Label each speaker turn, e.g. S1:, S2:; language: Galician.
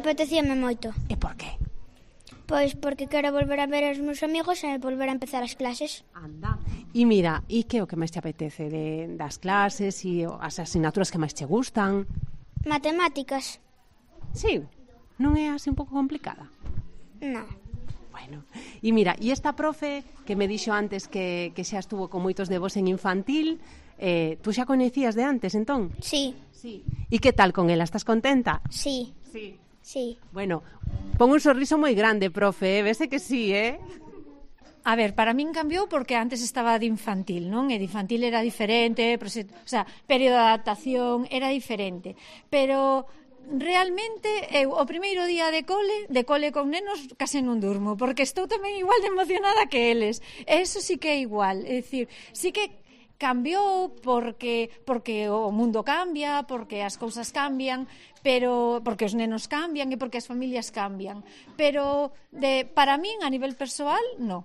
S1: apetecíame moito.
S2: E por qué?
S1: Pois porque quero volver a ver os meus amigos e volver a empezar as clases.
S2: Anda. E mira, e que é o que máis te apetece das clases e as asignaturas que máis te gustan?
S1: Matemáticas?
S2: Sí, non é así un pouco complicada?
S1: Non.
S2: Bueno, e mira, e esta profe que me dixo antes que xa estuvo con moitos de vos en infantil, tú xa coñecías de antes, entón?
S1: Sí.
S2: Sí. E que tal con ela? Estás contenta?
S1: Sí.
S2: Sí.
S1: Sí.
S2: Bueno, pon un sorriso moi grande, profe, vese que sí,
S3: A ver, para min cambiou porque antes estaba de infantil, non? E de infantil era diferente, período de adaptación era diferente. Pero realmente eu o primeiro día de cole con nenos case non durmo, porque estou tamén igual de emocionada que eles. E eso sí que é igual, é dicir, sí que cambiou porque o mundo cambia, porque as cousas cambian, pero porque os nenos cambian e porque as familias cambian. Pero para min a nivel persoal, non.